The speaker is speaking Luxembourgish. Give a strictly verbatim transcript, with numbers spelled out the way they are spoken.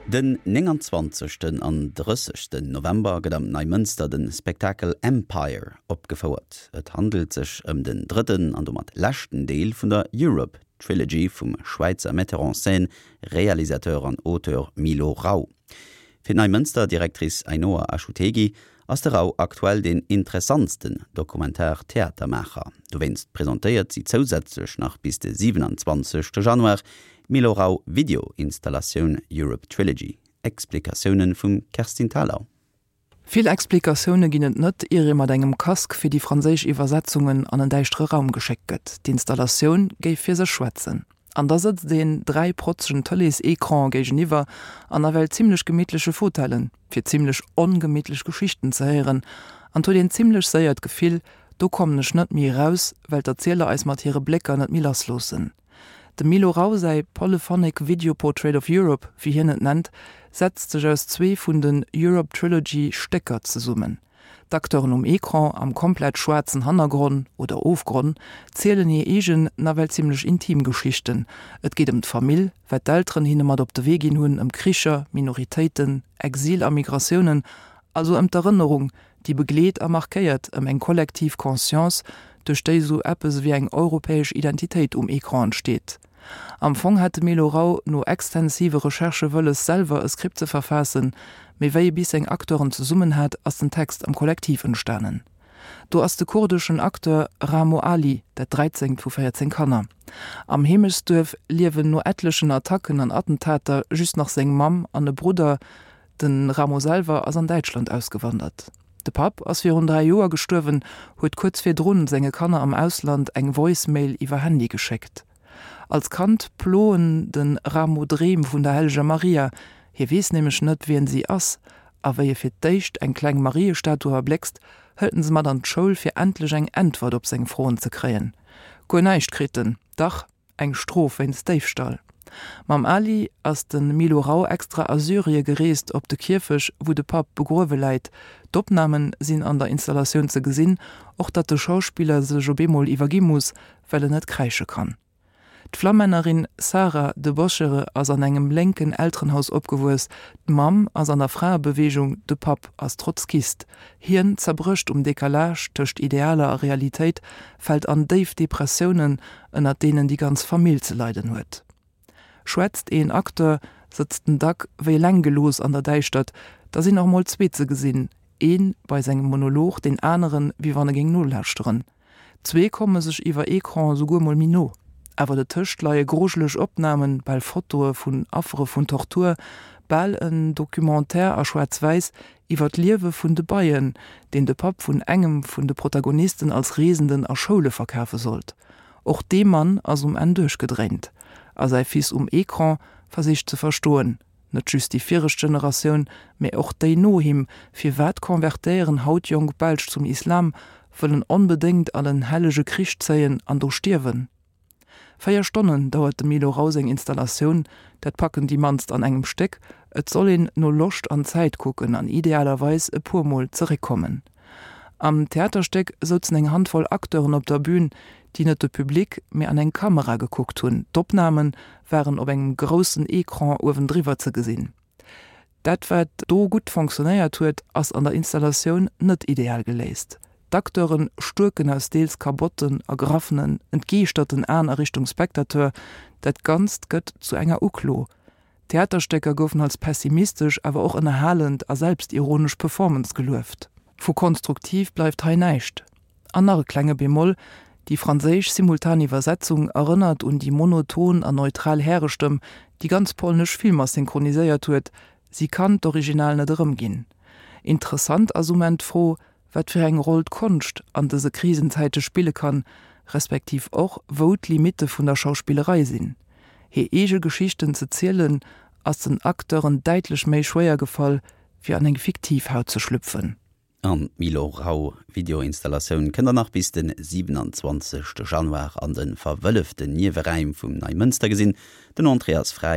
Den nénganzwanzegsten an drëssegsten November gëtt am Neimënster de Spektakel Empire opgefouert. Et handelt sech ëm den drëtten an domat leschten Deel vun der Europe Trilogy vum Schwäizer Metteur en scène, Realisateur an Auteur Milo Rau. Fir d'Neimënster-Directrice Ainhoa Achutegui ass de Rau aktuell deen interessantsten Dokumentar-Theatermaacher. Dowéinst presentéiert si zousätzlech nach bis de siwenanzwanzegste Januar d'Milo Rau Video-Installatioun Europe Trilogy. Explikatioune vum Kerstin Thalau. Vill Explikatioune ginn et net, ier ee mat engem Casque fir déi franséisch Iwwersetzungen an en däischtere Raum geschéckt gëtt. D'Installatioun géif fir sech schwätzen. An da sëtzt een dräi protzegen Tëlees-Ecrane géigeniwwer an nawell zimmlech gemittleche Fauteuilen, fir zimmlech ongemittlech Geschichten ze héieren. An et huet een zimmlech séier d'Gefill, do kommen ech net méi eraus, well d'Erzieler eis mat hire Blécker net méi lassloossen. Dem Milo Rau säi Polyphonic Video Portrait of Europe, wéi hien et nennt, setzt sech aus zwee vun den Europe Trilogy Stécker zesummen. D'Acteuren um Ecran, am komplett schwaarzen Hannergronn oder Ofgronn, zielen hir eegen, nawell zimmlech intim Geschichten. Et geet ëm d'Famill, wat d'Elteren hinne mat op de Wee ginn hunn, ëm Kricher, Minoritéiten, Exil a Migratiounen, also ëm d'Erënnerung, déi begleet a markéiert, ëm eng kollektiv Conscience, duerch déi sou eppes ewéi eng europäesch Identitéit um Ecran entsteet. Am Fong hat de Milo Rau no extensive Recherchë wëlles, selwer e Skript ze verfaassen, mee wéi e bis seng Acteuren zesummen hat, ass den Text am Kollektiv entstanen. Do ass de kurdeschen Acteur Ramo Ali, dat dräizéngt vu véierzéng Kanner. Am Heemechtsduerf liewen no etlechen Attacken an Attentater just nach seng Mamm an e Brudder. De Ramo selwer ass an Däitschland ausgewandert. De Papp ass virun dräi Joer gestuerwen, huet kuerz virdrun senge Kanner am Ausland eng Voicemail iwwer Handy geschéckt. Als Kand ploen de Ramo Dreem vun der helleger Maria, hie weess nämlech net, wien si ass, a wéi e fir d'éischt eng kleng Mariestatu erbléckst, hëlt en se mat an d'Schoul, fir endlech eng Äntwert op seng Froen ze kréien. Guer näischt kritt en, dach, eng Strof wéinst Déifstall. Mam Ali ass de Milo Rau extra a Syrie gereest, op de Kierfech, wou de Papp begruewe läit. D'Opname sinn an der Installatioun ze gesinn, och datt de Schauspiller sech op eemol iwwergi muss, well en net kräische kann. D'Flammännerin Sarah de Boschere ass an engem lénken Elterenhaus opgewuess, d'Mamm ass an der Fraebeweegung, de Papp ass Trotzkist. Hien zerbrécht um Decalage tëscht Idealer a Realitéit, fält an déif Depressiounen, ënnert deenen déi ganz Famill ze leiden huet. Schwätzt een Acteur, sëtzt en dack wéi eleng gelooss an der Däischtert, da sinn och mol zwee ze gesinn, ee bei sengem Monolog, deen aneren, wéi wann e géing nolauschteren. Zwee komme sech iwwer Ecran esouguer mol méi no. Awer dertëscht leie grujeleg Opnamen, bal Fotoe vun Affere vun Tortur, bal en Documentaire a Schwaarz-Wäiss iwwer d'Liewe vun de Beien, deen de Papp vun engem vun de Protagonisten als Reesenden a Schoule verkafe sollt. Och dee Mann ass um Enn duerchgedréint a säi Fils um Ecran versicht ze verstoen, net just déi viregt Generatioun, mä och déi no him, firwat konvertéieren haut jonk Belsch zum Islam, wëllen onbedéngt an en hellege Krich zéien an do stierwen? Véier Stonnen dauert dem Milo Rau seng Installatioun, dat packen déi mannst an engem Stéck. Et soll een no Loscht an Zäit kucken an idealerweis e puer Mol zeréckkommen. Am Theaterstéck souzen eng Handvoll Acteuren op der Bün, déi net de Public, mee an eng Kamera gekuckt hunn. D'Opname waren op engem groussen Ecran uewendriwwer ze gesinn. Dat wat do gutt fonctionnéiert huet, ass an der Installatioun net ideal geléist. D'Acteure stuerken aus deels kabotten, ergraffenen, entgeeschterten Aen a Richtung Spectateur. Dat Ganzt gëtt zu enger Uklo. D'Theaterstécker goufen als pessimistesch, awer och ënnerhalend a selbstironesch Performance gelueft. Vu konstruktiv bleift hei näischt. An nach e klenge Bémol, Déi franséisch Simultaniwwersetzung erënnert un déi monoton an neutral Härestëmm, déi ganz polnesch Filmer synchroniséiert huet, si kann d'Original net erëmginn. Interessant ass um Enn d'Fro, wat fir eng Roll d'Konscht an dëse Krisenzäite spille kann, respektiv och, wou d'Limitte vun der Schauspillerei sinn. Hir eege Geschichten ze zielen, ass den Acteuren däitlech méi schwéier gefall, wéi an eng fiktiv Haut ze schlüpfen. An d'Milo Rau Videoinstallatioun kënnt der nach bis de siwenanzwanzegste Januar an de verwëlleften Nieweräim vum Neimënster gesinn. Den Entrée ass fräi.